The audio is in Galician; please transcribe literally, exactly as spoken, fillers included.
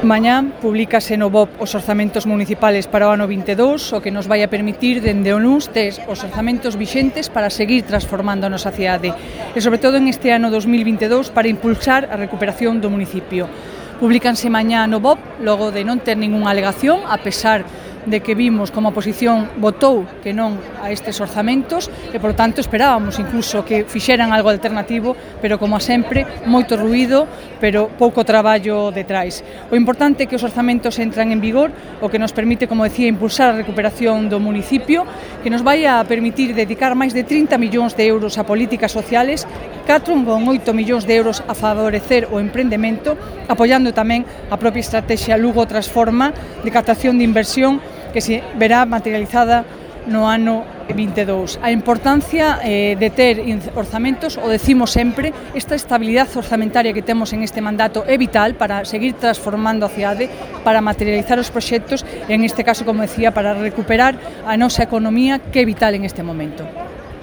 Mañá publícase no B O P os orzamentos municipales para o ano vinte e dous, o que nos vai a permitir dende o luns ter os orzamentos vixentes para seguir transformando a nosa cidade e, sobre todo, en este ano dos mil vinte e dous para impulsar a recuperación do municipio. Publícanse mañá no B O P, logo de non ter ningunha alegación, a pesar de que vimos como a oposición votou que non a estes orzamentos e, por tanto, esperábamos incluso que fixeran algo alternativo, pero, como a sempre, moito ruído, pero pouco traballo detrás. O importante é que os orzamentos entran en vigor, o que nos permite, como decía, impulsar a recuperación do municipio, que nos vai a permitir dedicar máis de trinta millóns de euros a políticas sociales, catro con oito millóns de euros a favorecer o emprendemento, apoiando tamén a propia estrategia Lugo Transforma de captación de inversión que se verá materializada no ano vinte e dous. A importancia eh, de ter orzamentos, o decimos sempre, esta estabilidade orzamentaria que temos en este mandato é vital para seguir transformando a cidade, para materializar os proxectos e, en este caso, como decía, para recuperar a nosa economía, que é vital en este momento.